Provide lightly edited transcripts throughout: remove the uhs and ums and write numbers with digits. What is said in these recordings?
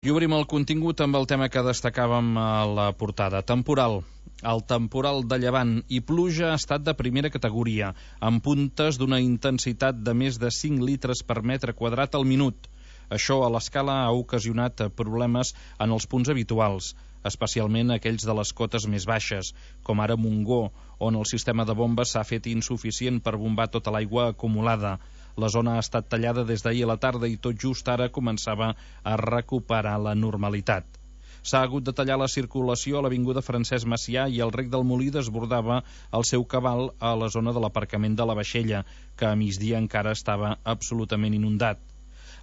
I obrim el contingut amb el tema que destacàvem a la portada. Temporal. El temporal de llevant i pluja ha estat de primera categoria, amb puntes d'una intensitat de més de 5 litres per metre quadrat al minut. Això a l'escala ha ocasionat problemes en els punts habituals, especialment aquells de les cotes més baixes, com ara Montgó, on el sistema de bombes s'ha fet insuficient per bombar tota l'aigua acumulada. La zona ha estat tallada des d'ahir a la tarda i tot just ara començava a recuperar la normalitat. S'ha hagut de tallar la circulació a l'avinguda Francesc Macià i el rec del Molí desbordava el seu cabal a la zona de l'aparcament de la Vaixella, que a migdia encara estava absolutament inundat.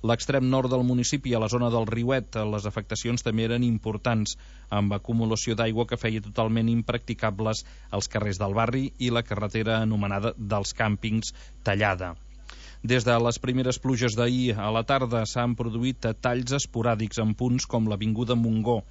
L'extrem nord del municipi, a la zona del Riuet, les afectacions també eren importants, amb acumulació d'aigua que feia totalment impracticables els carrers del barri i la carretera anomenada dels càmpings tallada. Des de les primeres pluges d'ahir a la tarda s'han produït talls esporàdics en punts com l'avinguda Montgó,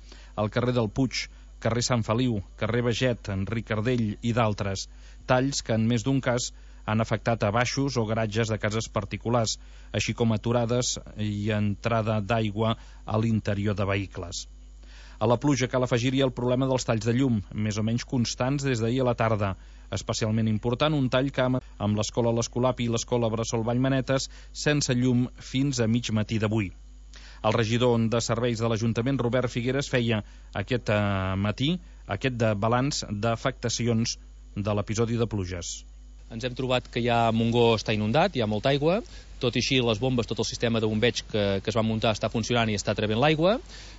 el carrer del Puig, carrer Sant Feliu, carrer Beget, Enric Ardell i d'altres. Talls que en més d'un cas han afectat a baixos o garatges de cases particulars, així com aturades i entrada d'aigua a l'interior de vehicles. A la pluja cal afegir-hi el problema dels talls de llum, més o menys constants des d'ahir a la tarda. Especialment important un tall que amb l'escola l'Escolapi i l'escola Bressol Vallmanetes sense llum fins a mig matí d'avui. El regidor de serveis de l'Ajuntament, Robert Figueres, feia aquest matí aquest balanç d'afectacions de l'episodi de pluges. Ens hem trobat que ja Montgó està inundat, hi ha molta aigua, tot i així les bombes, tot el sistema de bombeig que es va muntar està funcionant i està trebent l'aigua.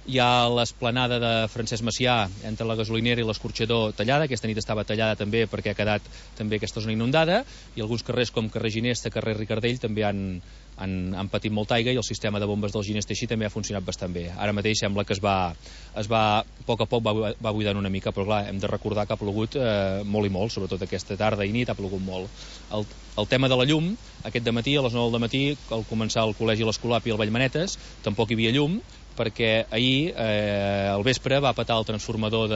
Hi ha l'esplanada de Francesc Macià entre la gasolinera i l'escorxador tallada, aquesta nit estava tallada també perquè ha quedat també aquesta zona inundada, i alguns carrers com carrer Ginesta, carrer Ricardell també han patit molta aigua i el sistema de bombes del Ginesta així també ha funcionat bastant bé. Ara mateix sembla que a poc a poc va buidant una mica, però clar, hem de recordar que ha plogut molt i molt, sobretot aquesta tarda i nit ha plogut molt. El tema de la llum, aquest dematí, a les 9 del matí, al començar el col·legi l'Escolapi i el Vallmanetes, tampoc hi havia llum, perquè ahir al vespre va petar el transformador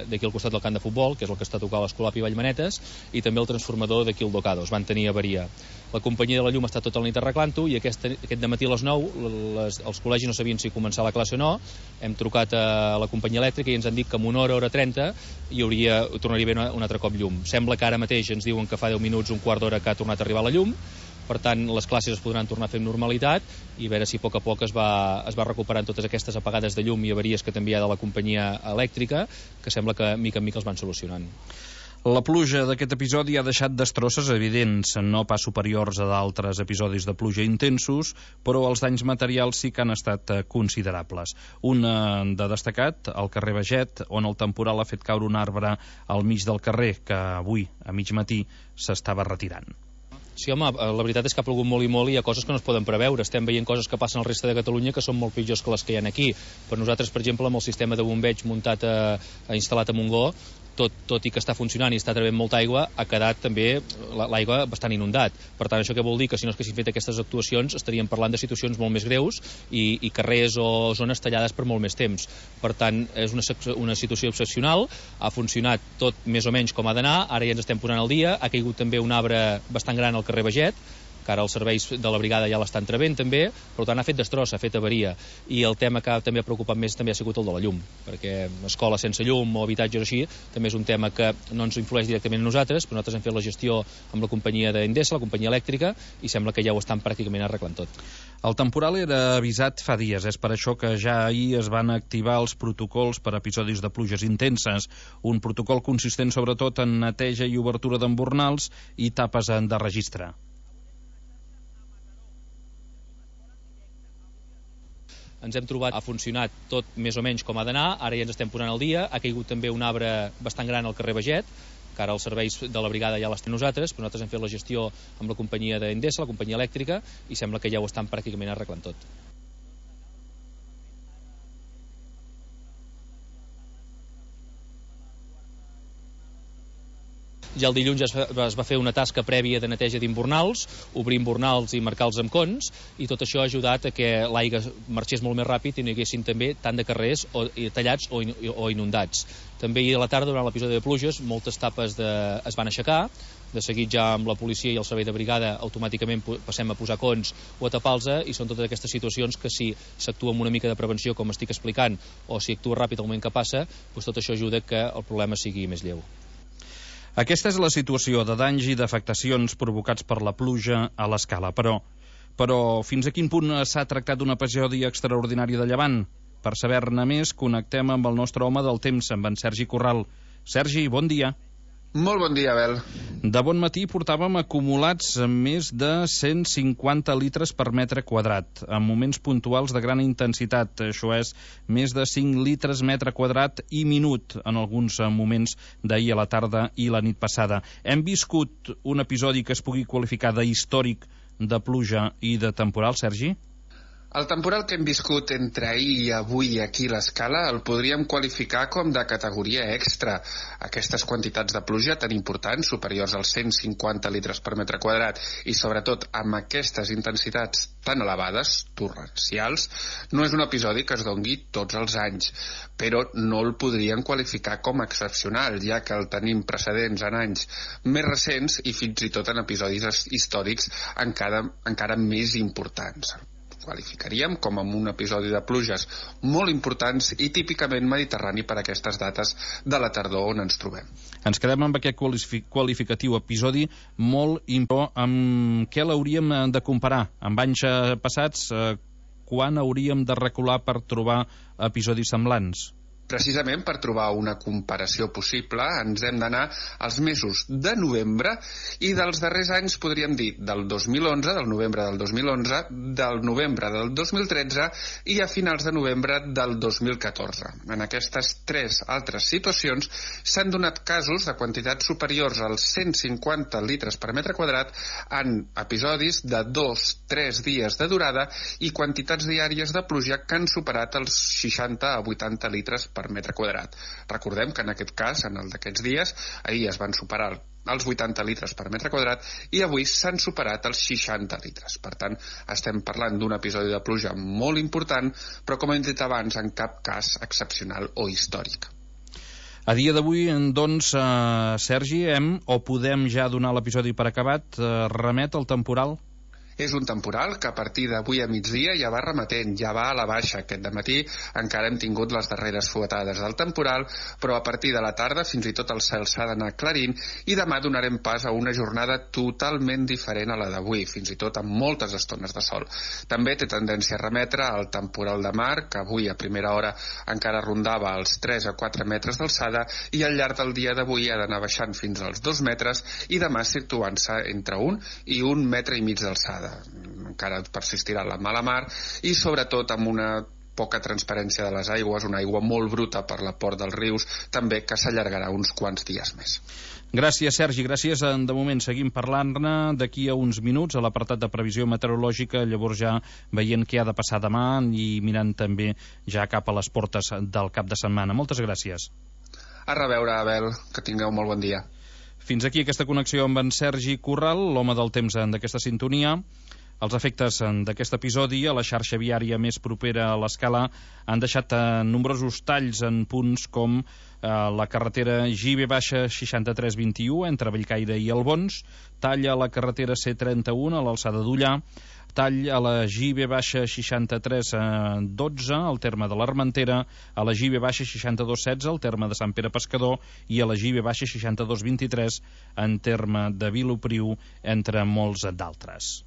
d'aquí al costat del camp de futbol, que és el que està tocant l'Escolapi i Vallmanetes, i també el transformador d'aquí al Docados, van tenir avaria. La companyia de la llum està tota la nit arreglant-ho i aquest dematí a les 9 els col·legis no sabien si començar la classe o no. Hem trucat a la companyia elèctrica i ens han dit que en una hora 30 tornaria a haver un altre cop llum. Sembla que ara mateix ens diuen que fa 10 minuts, un quart d'hora que ha tornat a arribar la llum. Per tant, les classes es podran tornar a fer amb normalitat i veure si a poc es va recuperant totes aquestes apagades de llum i avaries que també hi ha de la companyia elèctrica, que sembla que mica en mica els van solucionant. La pluja d'aquest episodi ha deixat destrosses evidents, no pas superiors a d'altres episodis de pluja intensos, però els danys materials sí que han estat considerables. Un de destacat, al carrer Beget, on el temporal ha fet caure un arbre al mig del carrer, que avui, a mig matí, s'estava retirant. Sí, home, la veritat és que ha plogut molt i molt i hi ha coses que no es poden preveure. Estem veient coses que passen al resta de Catalunya que són molt pitjors que les que hi ha aquí. Per nosaltres, per exemple, amb el sistema de bombeig muntat instal·lat a Montgó, tot i que està funcionant i està trebent molta aigua, ha quedat també l'aigua bastant inundat. Per tant, això què vol dir? Que si no es haguessin fet aquestes actuacions estaríem parlant de situacions molt més greus i carrers o zones tallades per molt més temps. Per tant, és una situació excepcional, ha funcionat tot més o menys com ha d'anar, ara ja ens estem posant al dia, ha caigut també un arbre bastant gran al carrer Beget, que ara els serveis de la brigada ja l'estan trebent també, per tant ha fet destrossa, ha fet avaria, i el tema que també ha preocupat més també ha sigut el de la llum, perquè escoles sense llum o habitatges així també és un tema que no ens influeix directament a nosaltres, però nosaltres hem fet la gestió amb la companyia d'Endesa, la companyia elèctrica, i sembla que ja ho estan pràcticament arreglant tot. El temporal era avisat fa dies, és per això que ja ahir es van activar els protocols per episodis de pluges intenses, un protocol consistent sobretot en neteja i obertura d'embornals i tapes de registre. Ens hem trobat, ha funcionat tot més o menys com ha d'anar, ara ja ens estem posant al dia, ha caigut també un arbre bastant gran al carrer Beget, que ara els serveis de la brigada ja l'estem nosaltres, però nosaltres hem fet la gestió amb la companyia d'Endesa, la companyia elèctrica, i sembla que ja ho estan pràcticament arreglant tot. Ja el dilluns es va fer una tasca prèvia de neteja d'imbornals, obrir imbornals i marcar els amb cons, i tot això ha ajudat a que l'aigua marxés molt més ràpid i no hi haguessin també tant de carrers tallats o inundats. També ahir a la tarda, durant l'episodi de pluges, moltes tapes es van aixecar, De seguit ja amb la policia i el servei de brigada automàticament passem a posar cons o a tapar-los, i són totes aquestes situacions que si s'actua amb una mica de prevenció, com estic explicant, o si actua ràpid al moment que passa, doncs tot això ajuda que el problema sigui més lleu. Aquesta és la situació de danys i d'afectacions provocats per la pluja a l'Escala, però fins a quin punt s'ha tractat d'un episodi extraordinari de llevant? Per saber-ne més, connectem amb el nostre home del temps, amb en Sergi Corral. Sergi, bon dia. Molt bon dia, Abel. De bon matí portàvem acumulats més de 150 litres per metre quadrat, en moments puntuals de gran intensitat. Això és més de 5 litres metre quadrat i minut en alguns moments d'ahir a la tarda i la nit passada. Hem viscut un episodi que es pugui qualificar d'històric de pluja i de temporal, Sergi? El temporal que hem viscut entre ahir i avui aquí a l'Escala el podríem qualificar com de categoria extra. Aquestes quantitats de pluja tan importants, superiors als 150 litres per metre quadrat, i sobretot amb aquestes intensitats tan elevades, torrencials, no és un episodi que es dongui tots els anys, però no el podríem qualificar com excepcional, ja que el tenim precedents en anys més recents i fins i tot en episodis històrics encara més importants. Qualificaríem com amb un episodi de pluges molt importants i típicament mediterrani per aquestes dates de la tardor on ens trobem. Ens quedem amb aquest qualificatiu episodi molt important. Amb què l'hauríem de comparar? Amb anys passats, quan hauríem de recular per trobar episodis semblants? Precisament per trobar una comparació possible ens hem d'anar als mesos de novembre i dels darrers anys podríem dir del 2011, del novembre del 2011, del novembre del 2013 i a finals de novembre del 2014. En aquestes tres altres situacions s'han donat casos de quantitats superiors als 150 litres per metre quadrat en episodis de 2-3 dies de durada i quantitats diàries de pluja que han superat els 60 a 80 litres per metre quadrat. Recordem que en aquest cas, en el d'aquests dies, ahir es van superar els 80 litres per metre quadrat i avui s'han superat els 60 litres. Per tant, estem parlant d'un episodi de pluja molt important, però com hem dit abans, en cap cas excepcional o històric. A dia d'avui, doncs, Sergi, podem ja donar l'episodi per acabat, remet el temporal? És un temporal que a partir d'avui a migdia ja va remetent, ja va a la baixa. Aquest dematí encara hem tingut les darreres fuetades del temporal, però a partir de la tarda fins i tot el cel s'ha d'anar aclarint i demà donarem pas a una jornada totalment diferent a la d'avui, fins i tot amb moltes estones de sol. També té tendència a remetre al temporal de mar, que avui a primera hora encara rondava els 3 a 4 metres d'alçada i al llarg del dia d'avui ha d'anar baixant fins als 2 metres i demà situant-se entre 1 i 1,5 metres d'alçada. Encara persistirà la mala mar i sobretot amb una poca transparència de les aigües, una aigua molt bruta per la port dels rius, també que s'allargarà uns quants dies més. Gràcies, Sergi, gràcies. De moment seguim parlant-ne d'aquí a uns minuts a l'apartat de previsió meteorològica, llavors ja veient què ha de passar demà i mirant també ja cap a les portes del cap de setmana. Moltes gràcies. A reveure, Abel, que tingueu molt bon dia. Fins aquí aquesta connexió amb en Sergi Corral, l'home del temps d'aquesta sintonia. Els efectes d'aquest episodi a la xarxa viària més propera a l'Escala han deixat nombrosos talls en punts com la carretera JB-6321 entre Bellcaire i Albons, tall a la carretera C31 a l'alçada d'Ullà, tall a la JB-6312 al terme de l'Armentera, a la JB-6216 al terme de Sant Pere Pescador i a la JB-6223 en terme de Vilopriu, entre molts d'altres.